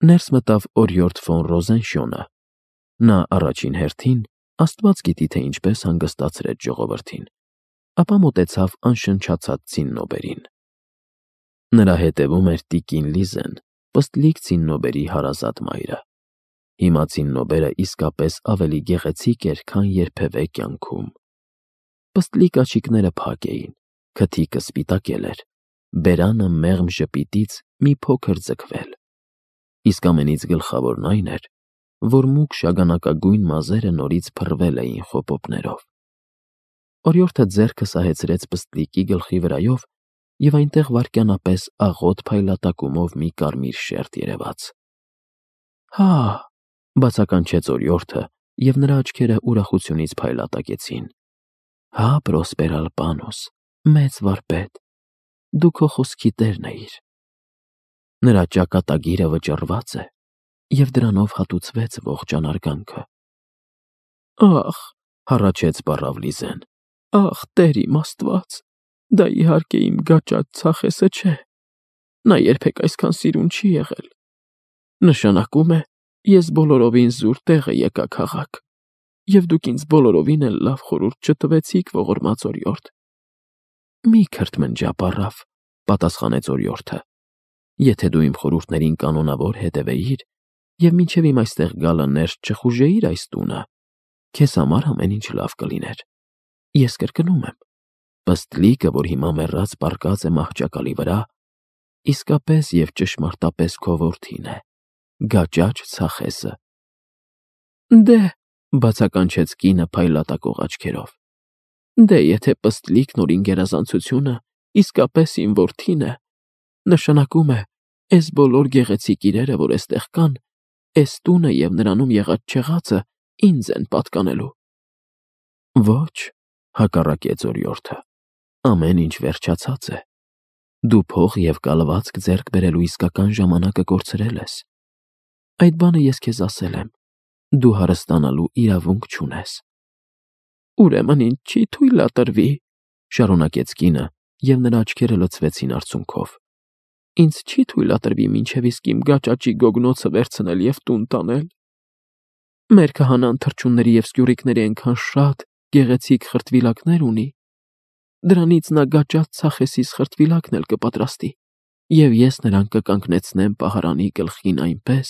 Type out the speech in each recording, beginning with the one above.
Ներս մտավ օրիորդ ֆոն Ռոզենշյոնը։ Նա առաջին հերթին, Աստված գիտի, թե ինչպես հանգստացրեց ժողովրդին, ապա մոտեցավ անշնչացած Ցիննոբերին։ Նրա հետևում էր տիկին Լիզեն, պստլիկ Ցիննոբերի հարազատ մայրը։ Հիմա Ցիննոբերը իսկապես ավելի գեղեցիկ էր, քան երբևէ կյանքում։ Պստլիկ աչիկները փակ էին, քթիկը սպիտակել էր, բերանը մեղմ ժպիտից մի փոքր ձգվել։ Իսկ ամենից գլխավորն այն էր, որ մուգ շագանակագույն մազերը նորից փռվել էին խոպոպներով։ Օրիորդը ձեռքը սահեցրեց պստլիկի գլխի վրայով, և այնտեղ վայրկյանապես աղոտ փայլատակումով մի կարմիր շերտ երևաց։ «Հա», բացականչեց օրիորդը, և նրա աչքերը ուրախությունից փայլատակեցին։ «Հա, Պրոսպեր Ալպանոս, մեծ վարպետ, դու քո խոսքի տերն էիր»։ Նրա ճակատագիրը վճռված է, և դրանով հատուցվեց ողջ անարգանքը։ «Ախ», հառաչեց պառավ Լիզեն, «ախ, Տեր իմ Աստված, դա իհարկե իմ գաճաճ Ցախեսը չէ, նա երբեք այսքան սիրուն չի եղել։ Նշանակում է, ես բոլորովին զուր տեղը եկա քաղաք, և դուք ինձ բոլորովին էլ լավ խորհուրդ չտվեցիք, ողորմած օրիորդ»։ «Մի քրթմնջա, պառավ», պատասխանեց օրիորդը, «եթե դու իմ խորհուրդներին կանոնավոր հետևեիր և մինչև իմ այստեղ գալը ներս չխուժեիր այս տունը, քեզ համար ամեն ինչ լավ կլիներ։ Ես կրկնում եմ, պստլիկը, որ հիմա մեռած պառկած է մահճակալի վրա, իսկապես և ճշմարտապես քո որդին է, գաճաճ Ցախեսը»։ «Դե», բացականչեց կինը փայլատակող աչքերով, «դե եթե պստլիկն որ իմ գերազանցությունը իսկապես իմ որդին է, նշանակում է, էս բոլոր գեղեցիկ իրերը, որ էստեղ կան, էս տունը և նրանում եղած չեղածը ինձ են պատկանելու»։ «Ոչ», հակառակեց օրիորդը, «ամեն ինչ վերջացած է։ Դու փող և կալվածք ձեռք բերելու իսկական ժամանակը կորցրել ես։ Այդ բանը ես քեզ ասել եմ, դու հարստանալու իրավունք չունես»։ «Ուրեմն ինձ չի թույլատրվի», շարունակեց կինը, և նրա աչքերը լցվեցին արցունքով, «ինձ չի թույլատրվի մինչև իսկ իմ գաճաճի գոգնոցը վերցնել և տուն տանել։ Մեր քահանան թռչունների և սկյուռիկների այնքան շատ գեղեցիկ խրտվիլակներ ունի, դրանից նա գաճաճ Ցախեսիս խրտվիլակն էլ կպատրաստի, և ես նրան կկանգնեցնեմ պահարանի գլխին այնպես,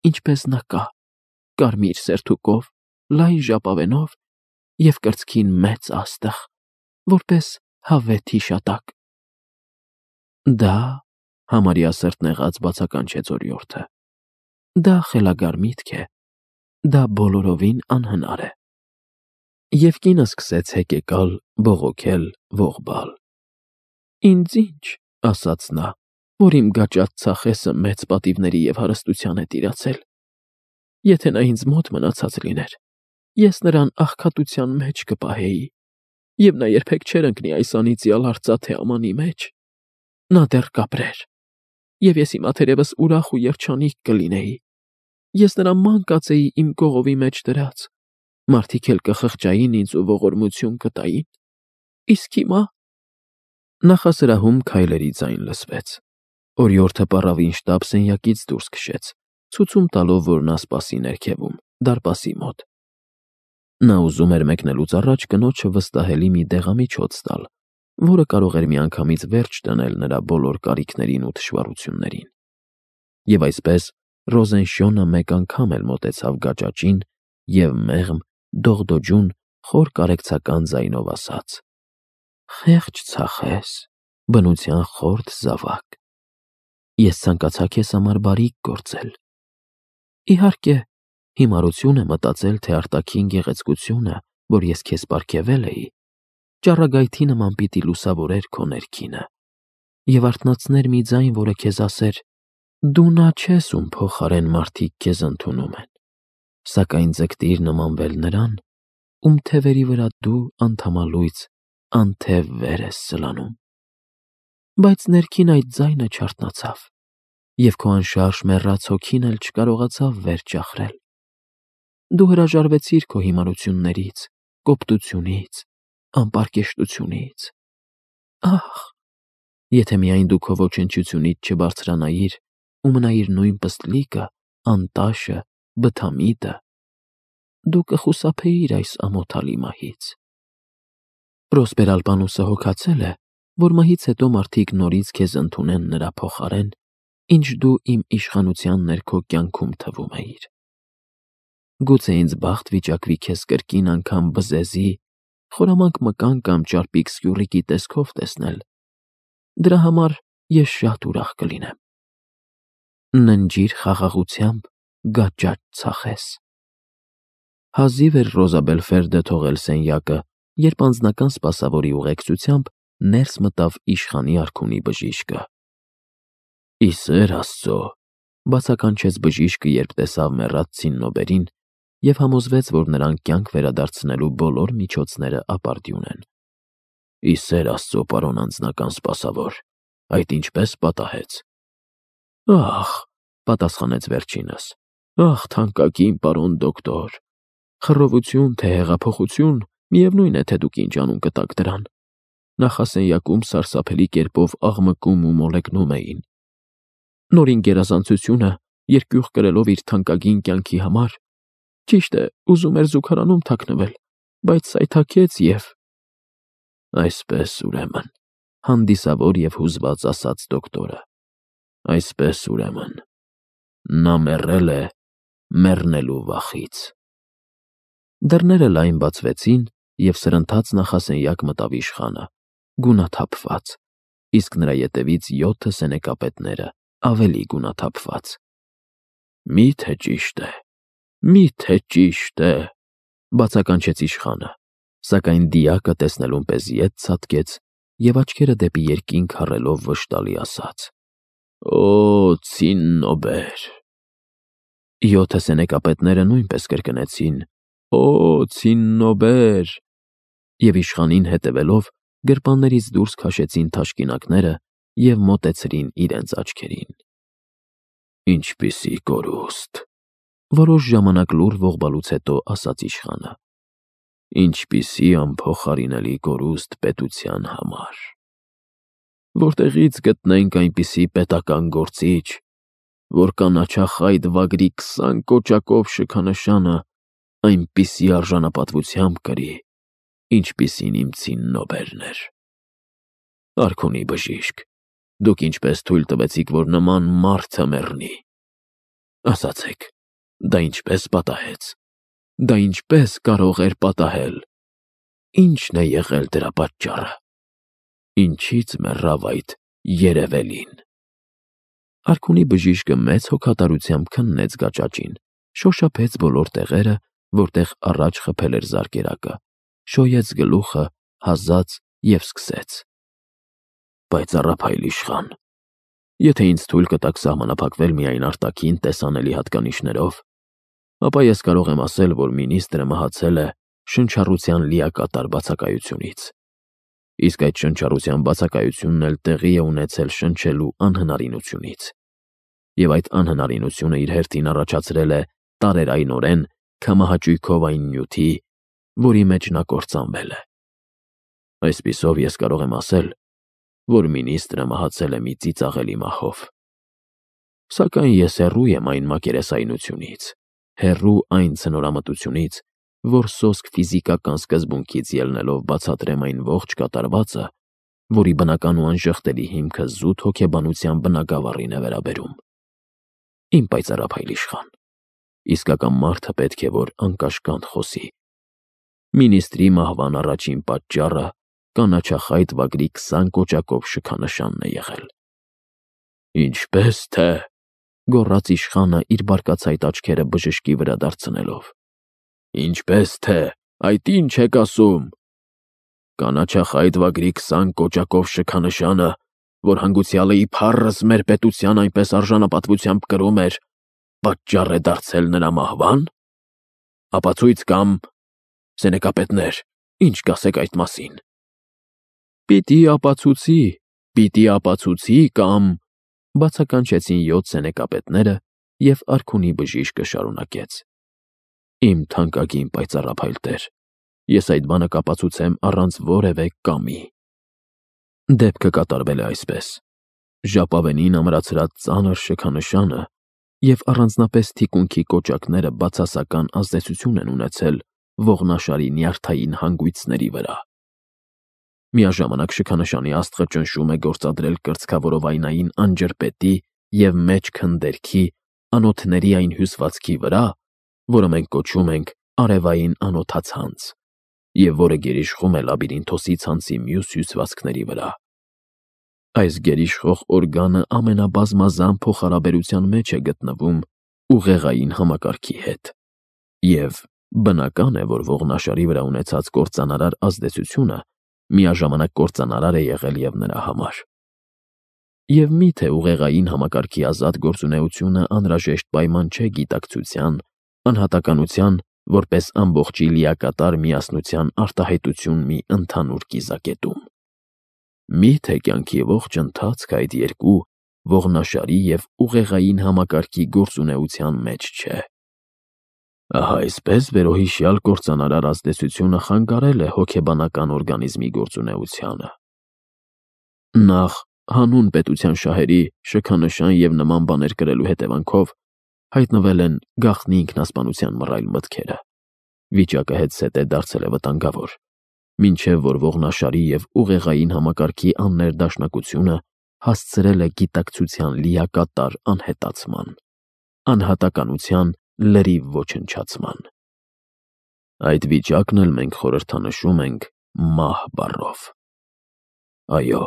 ինչպես նա կա, կարմիր սերթուկով, լայն ժապավենով և կրծքին մեծ աստղ, որպես հավեթ հիշատակ»։ «Դա», համարյա սրտնեղած բացականչեց օրիորդը, «դա խելագար միտք է, դա բոլորովին անհնար է»։ Եվ կինը սկսեց հեկեկալ, բողոքել, ողբալ։ «Ինձ ինչ», ասաց նա, «որ իմ գաճաճ Ցախեսը մեծ պատիվների և հարստության է տիրացել։ Եթե նա ինձ մոտ մնացած լիներ, ես նրան աղքատության մեջ կպահեի, և նա երբեք չէր ընկնի այս անիծյալ արծաթե ամանի մեջ։ Նա դեռ կապրեր, և ես հիմա թերևս ուրախ ու երջանիկ կլինեի։ Ես նրան ման կածեի իմ կողովի մեջ դրած, մարդիկ էլ կխղճային ինձ ու ողորմություն կտային։ Իսկ հիմա…» Նախասրահում քայլերի ձայն լսվեց։ Օրիորդը պառավին շտապ սենյակից դուրս քշեց, ցուցում տալով, որ նա սպասի ներքևում, դարպասի մոտ։ Նա ուզում էր մեկնելուց առաջ կնոջը վստահելի մի դեղամիջոց տալ, որը կարող էր միանգամից վերջ դնել նրա բոլոր կարիքներին ու թշվառություններին։ Եվ այսպես Ռոզենշյոնը մեկ անգամ էլ մոտեցավ գաճաճին և մեղմ, դողդոջուն, խոր կարեկցական ձայնով ասաց. «Խեղճ Ցախես, բնության խորթ զավակ, ես ցանկացա քեզ համար բարիք գործել։ Իհարկե, հիմարություն է մտածել, թե արտաքին գեղեցկությունը, որ ես քեզ պարգևել էի, ճառագայթի նման պիտի լուսավորեր քո ներքինը և արթնացներ մի ձայն, որը քեզ ասեր. «Դու նա չես, ում փոխարեն մարդիկ քեզ ընդունում են, սակայն ձգտիր նմանվել նրան, ում թևերի վրա դու անդամալույծ անթև վեր ես սլանում»։ Բայց ներքին այդ ձայնը չարթնացավ, և քո անշարժ մեռած հոգին էլ չկարողացավ վեր ճախրել։ Դու հրաժարվեցիր քո հիմարություններից, կոպտությունից, անպարկեշտությունից։ Ախ, եթե միայն դու քո ոչնչությունից չբարձրանայիր ու մնայիր նույն պստլիկը, անտաշը, բթամիտը, դու կխուսափեիր այս ամոթալի մահից։ Պրոսպեր Ալպանուսը հոգացել է, որ մահից հետո մարդիկ նորից քեզ ընդունեն նրա փոխարեն, ինչ դու իմ իշխանության ներքո կյանքում թվում էիր։ Գուցե ինձ բախտ վիճակվի քեզ կրկին անգամ բզեզի, խորամանկ մկան կամ ճարպիկ սկյուռիկի տեսքով տեսնել։ Դրա համար ես շատ ուրախ կլինեմ։ Ննջիր խաղաղությամբ, գաճաճ ցախես։ Հազիվ էր Ռոզա Բելֆերդը թողել սենյակը, երբ անձնական սպասավորի ուղեկցությամբ ներս մտավ իշխանի արքունի բժիշկը։ «Ի սեր Աստծո», բացականչեց բժիշկը, երբ տեսավ մեռած Ցիննոբերին և համոզվեց, որ նրան կյանք վերադարձնելու բոլոր միջոցները ապարդյուն են։ «Ի սեր Աստծո, պարոն անձնական սպասավոր, այդ ինչպես պատահեց»։ «Ախ», պատասխանեց վերջինս, «ախ, թանկագին պարոն դոկտոր, խռովություն, թե հեղափոխություն, միևնույն է, թե դուք ինչ անուն կտաք դրան։ Նախասենյակում սարսափելի կերպով աղմկում ու մոլեգնում էին։ Նորին գերազանցությունը, երկյուղ կրելով իր թանկագին կյանքի համար, ճիշտ է, ուզում էր զուգարանում թաքնվել, բայց սայթաքեց և…» «Այսպես, ուրեմն», հանդիսավոր և հուզված ասաց դոկտորը, «այսպես, ուրեմն, նա մեռել է մեռնելու վախից»։ Դռները լայն բացվեցին, և սրընթաց նախասենյակ մտավ իշխանը, գունաթափված, իսկ նրա ետևից 7 սենեկապետները ավելի գունաթափված։ «Մի՞թե ճիշտ է, մի՞թե ճիշտ է», բացականչեց իշխանը, սակայն դիակը տեսնելուն պես ետ ցատկեց և աչքերը դեպի երկինք հառելով վշտալի ասաց. «Օ, Ցիննոբեր»։ 7 սենեկապետները նույնպես կրկնեցին. «Օ, Ցիննոբեր», և իշխանին հետևելով գրպաններից դուրս քաշեցին թաշկինակները և մոտեցրին իրենց աչքերին։ «Ինչպիսի կորուստ», որոշ ժամանակ լուռ ողբալուց հետո ասաց իշխանը, «ինչպիսի անփոխարինելի կորուստ պետության համար։ Որտեղի՞ց գտնենք այնպիսի պետական գործիչ, որ կանաչախայտ վագրի 20 կոճակով շքանշանը այնպիսի արժանապատվությամբ կրի, ինչպիսին իմ Ցիննոբերն էր։ Արքունի բժիշկ, դուք ինչպես թույլ տվեցիք, որ նման մարդը մեռնի։ Ասացեք, դա ինչպես պատահեց, դա ինչպես կարող էր պատահել, ի՞նչն է եղել դրա պատճառը, ինչի՞ց մեռավ այդ երևելին»։ Արքունի բժիշկը մեծ հոգատարությամբ քննեց գաճաճին, շոշափեց բոլոր տեղերը, որտեղ առաջ խփել էր զարկերակը, շոյեց գլուխը, հազաց և սկսեց. «Պայծառափայլ իշխան, եթե ինձ թույլ կտաք սահմանափակվել միայն արտաքին տեսանելի հատկանիշներով, ապա ես կարող եմ ասել, որ մինիստրը մահացել է շնչառության լիակատար բացակայությունից, իսկ այդ շնչառության բացակայությունն էլ տեղի է ունեցել շնչելու անհնարինությունից, և այդ անհնարինությունը իր հերթին առաջացրել է տարերայնորեն քամահաճույքով այն նյութի, որի մեջ նա կործանվել է։ Այսպիսով ես կարող եմ ասել, որ մինիստրը մահացել է մի ծիծաղելի մահով։ Սակայն ես հեռու եմ այն մակերեսայնությունից, հեռու այն ցնորամտությունից, որ սոսկ ֆիզիկական սկզբունքից ելնելով բացատրեմ այն ողջ կատարվածը, որի բնական ու անժխտելի հիմքը զուտ հոգեբանության բնագավառին է վերաբերում։ Իմ պայծառափայլ իշխան, իսկական մարդը պետք է որ անկաշկանդ խոսի։ Մինիստրի մահվան առաջին պատճառը կանաչախայտ վագրի 20 կոճակով շքանշանն է եղել։ «Ինչպես թե», գոռաց իշխանը իր բարկացայտ աչքերը բժշկի վրա դարձնելով, «ինչպես թե, այդ ի՞նչ եք ասում։ Կանաչախայտ վագրի 20 կոճակով շքանշանը, որ հանգուցյալը իբառս մեր պետության այնպես արժանապատվությամբ կրում էր, պատճառ է դարձել նրա մահվա՞ն։ Ապացույց կամ… Սենեկապետներ, ինչ կասեք այդ մասին»։ Պիտի ապացուցի կամ… բացականչեցին 7 սենեկապետները, և արքունի բժիշկը շարունակեց. «Իմ թանկագին պայծառափայլ տեր, ես այդ բանը կապացուցեմ առանց որևէ կամի։ Դեպքը կատարվել է այսպես. Ժապավենին ամրացրած ծանր շքանշանը և առանձնապես թիկունքի կոճակները բացասական ազդեցություն են ունեցել ողնաշարի նյարդային հանգույցների վրա։ Միաժամանակ շքանշանի աստղը ճնշում է գործադրել կրծքավորովայնային անջրպետի և մեջ քնդերքի անոթների այն հյուսվածքի վրա, որը մենք կոչում ենք արևային անոթացանց, և որը գերիշխում է լաբիրինթոսի ցանցի մյուս հյուսվածքների վրա։ Այս գերիշխող օրգանը ամենաբազմազան փոխհարաբերության մեջ է գտնվում ուղեղային համակարգի հետ, և բնական է, որ ողնաշարի վրա ունեցած կործանարար ազդեցությունը միաժամանակ կործանարար է եղել և նրա համար։ Եվ միթե ուղեղային համակարգի ազատ գործունեությունը անհրաժեշտ պայման չէ գիտակցության, անհատականության, որպես ամբողջի լիակատար միասնության արտահայտություն մի ընդհանուր կիզակետում։ Միթե կյանքի ողջ ընթացքը այդ երկու ողնաշարի և ուղեղային համակարգի գործունեության մեջ չէ։ Ահա այսպես վերոհիշյալ կործանարար ազդեցությունը խանգարել է հոգեբանական օրգանիզմի գործունեությանը։ Նախ հանուն պետության շահերի շքանշան և նման բաներ կրելու հետևանքով հայտնվել են գաղտնի ինքնասպանության մռայլ մտքերը, վիճակը հետզհետե դարձել է վտանգավոր, մինչև որ ողնաշարի և ուղեղային համակարգի աններդաշնակությունը հասցրել է գիտակցության լիակատար անհետացման, անհատականության լրիվ ոչնչացման։ Այդ վիճակն էլ մենք խորհրդանշում ենք մահ բառով։ Այո,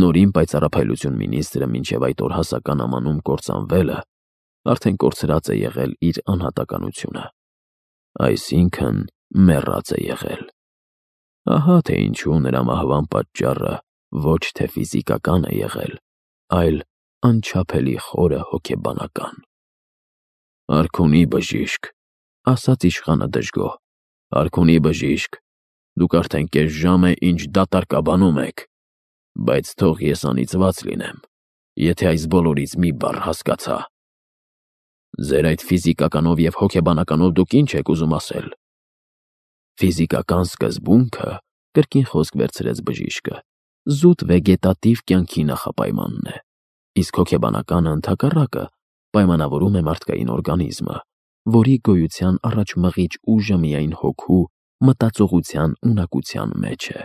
նորին պայծառափայլություն մինիստրը մինչև այդ օրհասական ամանում կործանվելը արդեն կորցրած է եղել իր անհատականությունը, այսինքն մեռած է եղել։ Ահա թե ինչու նրա մահվան պատճառը ոչ թե ֆիզիկական է եղել, այլ անչափելի խորը հոգեբանական։ Արքունի բժիշկ, ասաց իշխանը դժգոհ, արքունի բժիշկ, դուք արդեն կես ժամ է, ինչ դատարկաբանում եք, բայց թող ես անիծված լինեմ, եթե այս բոլորից մի բառ հասկացա։ Ձեր այդ ֆիզիկականով և հոգեբանականով դուք ինչ եք ուզում ասել։ Ֆիզիկական սկզբունքը, կրկին խոսք վերցրեց բժիշկը, զուտ վեգետատիվ կյանքի նախապայմանն է, իսկ հոգեբանականը ընդհակառակը պայմանավորում է մարդկային օրգանիզմը, որի գոյության առաջմղիչ ուժը միայն հոգու մտածողության ունակության մեջ է։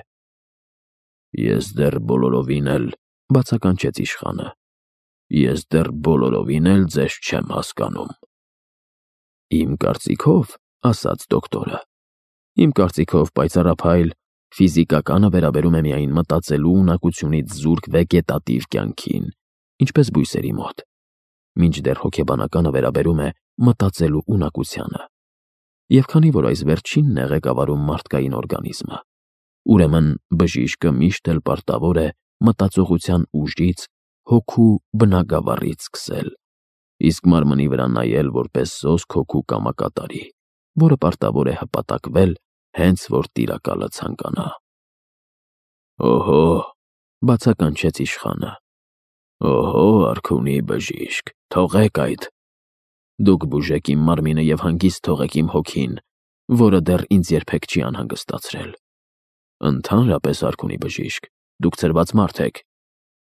Ես դեռ բոլորովին էլ, բացականչեց իշխանը, ես դեռ բոլորովին էլ ձեզ չեմ հասկանում։ Իմ կարծիքով, ասաց դոկտորը, իմ կարծիքով պայծառափայլ ֆիզիկականը վերաբերում է միայն մտածելու ունակությունից զուրկ վեգետատիվ կյանքին, ինչպես բույսերի մոտ, մինչդեռ հոգեբանականը վերաբերում է մտածելու ունակությանը։ Եվ քանի որ այս վերջինն է ղեկավարում մարդկային օրգանիզմը, ուրեմն բժիշկը միշտ էլ պարտավոր է մտածողության ուժից, հոգու բնագավառից սկսել, իսկ մարմնի վրա նայել որպես սոսկ հոգու կամակատարի, որը պարտավոր է հպատակվել, հենց որ տիրակալը ցանկանա։ Օհո, բացականչեց իշխանը, օհո, արքունի բժիշկ, թողեք այդ։ Դուք բուժեք իմ մարմինը և հանգիստ թողեք իմ հոգին, որը դեռ ինձ երբեք չի անհանգստացրել։ Ընդհանրապես, արքունի բժիշկ, դուք ծրված մարդ եք,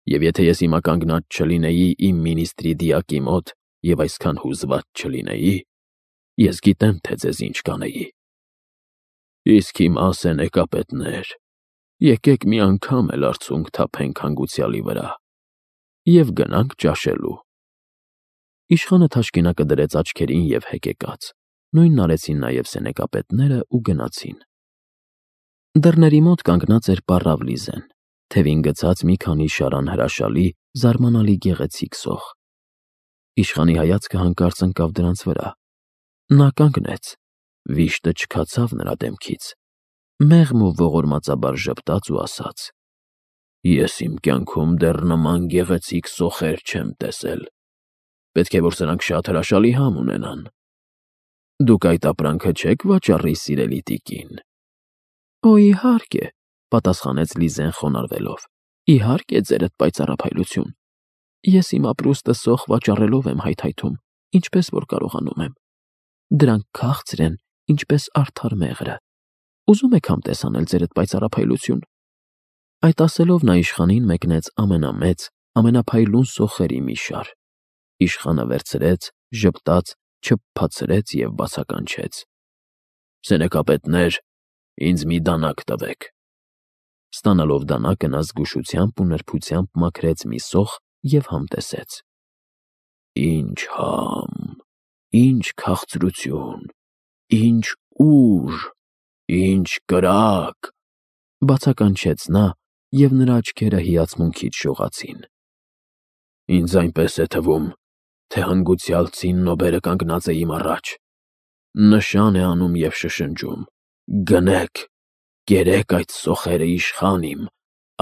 և եթե ես հիմա կանգնած չլինեի իմ մինիստրի դիակի մոտ և այսքան հուզված չլինեի, ես գիտեմ, թե ձեզ ինչ կանեի։ Իսկ հիմա, սենեկապետներ, եկեք մի անգամ էլ արցունք թափենք հանգուցյալի վրա և գնանք ճաշելու։ Իշխանը թաշկինակը դրեց աչքերին և հեկեկաց, նույնն արեցին նաև սենեկապետները ու գնացին։ Դռների մոտ կանգնած էր պառավ Լիզեն, թևին գցած մի քանի շարան հրաշալի, զարմանալի գեղեցիկ սոխ։ Իշխանի հայացքը հանկարծ ընկավ դրանց վրա։ Նա կանգնեց, վիշտը չքացավ նրա դեմքից, մեղմ ու ողորմածաբար ժպտաց ու ասաց. Ես իմ կյանքում դեռ նման գեղեցիկ սոխեր չեմ տեսել, պետք է որ սրանք շատ հրաշալի համ ունենան։ Դուք այդ ապրանքը չեք վաճառի, սիրելի տիկին։ Օ, իհարկե, պատասխանեց Լիզեն խոնարհվելով, իհարկե, ձերդ պայծառափայլություն։ Ես իմ ապրուստը սոխ վաճառելով եմ հայթայթում, ինչպես որ կարողանում եմ։ Դրանք քաղցր են, ինչպես արդար մեղրը։ Ուզում եք համտես անել ձերդ պայծառափայլություն։ Այդ ասելով նա իշխանին մեկնեց ամենամեծ, ամենափայլուն սոխերի մի շար։ Իշխանը վերցրեց, ժպտաց, չփփացրեց և բացականչեց. «Սենեկապետներ, ինձ մի դանակ տվեք»։ Ստանալով դանակը նա զգուշությամբ ու նրբությամբ մաքրեց մի սոխ և համտեսեց. «Ինչ համ, ինչ քաղցրություն, ինչ ուժ, ինչ կրակ», բացականչեց նա, և նրա աչքերը հիացմունքից շողացին։ «Ինձ այնպես է թվում, թե հանգուցյալ ցիննոբերը կանգնած է իմ առաջ, նշան է անում և շշնջում. «Գնեք, կերեք այդ սոխերը իշխան իմ,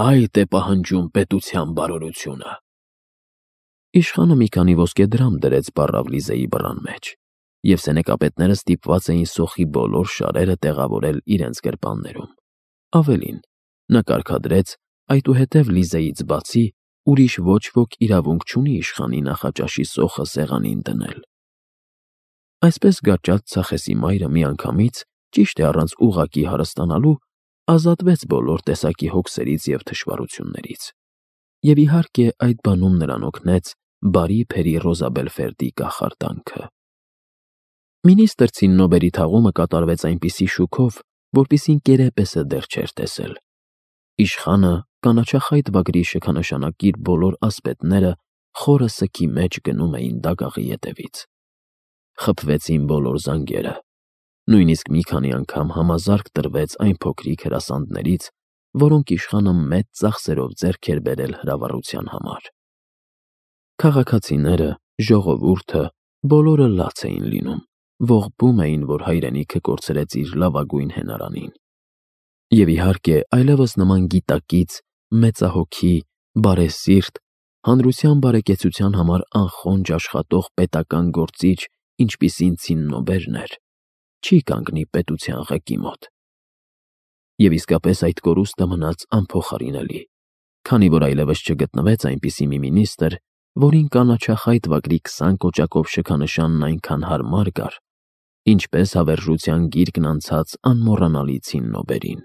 այդ է պահանջում պետության բարօրությունը»։ Իշխանը մի քանի ոսկեդրամ դրեց բառավ Լիզայի բռան մեջ, և սենեկապետները ստիպված էին սոխի բոլոր շարերը տեղավորել իրենց գրպաններում։ Ավելին, նա կարգադրեց այդուհետև Լիզայից բացի ուրիշ ոչ ոք իրավունք չունի իշխանի նախաճաշի սոխը սեղանին դնել։ Այսպես գաճաճ Ցախեսի մայրը միանգամից, ճիշտ է առանց ուղղակի հարստանալու, ազատվեց բոլոր տեսակի հոգսերից և թշվառություններից։ Եվ իհարկե այդ բանում նրան օգնեց բարի Փերի Ռոզաբելֆերդի կախարդանքը։ Մինիստրը ցիննոբերի թաղումը կատարվեց այնպիսի շուքով, որպիսին կերեպեսը դեռ չէր տեսել։ Իշխանը կանաչախայտ վագրի շքանշանակիր բոլոր ասպետները խորը սքի մեջ գնում էին դագաղի ետևից։ Խփվեցին բոլոր զանգերը։ Նույնիսկ մի քանի անգամ համազարկ տրվեց այն փոքրիկ հրասանդներից, որոնք իշխանը մեծ ծախսերով ձեռք էր բերել հրավառության համար։ Քաղաքացիները, ժողովուրդը, բոլորը լաց էին լինում, ողբում էին, որ հայրենիքը կորցրեց իր լավագույն հենարանին։ Եվ իհարկե այլևս նման գիտակից, մեծահոգի, բարեսիրտ, հանրության բարեկեցության համար անխոնջ աշխատող պետական գործիչ, ինչպիսին ցիննոբերն էր, չի կանգնի պետության ղեկի մոտ։ Եվ իսկապես այդ կորուստը մնաց անփոխարինելի, քանի որ այլևս չգտնվեց այնպիսի մի մինիստր, որին կանաչախայտ վագրի 20 կոճակով շքանշանն այնքան հարմար գար, ինչպես հավերժության գիրկն անցած անմոռանալի ցիննոբերին։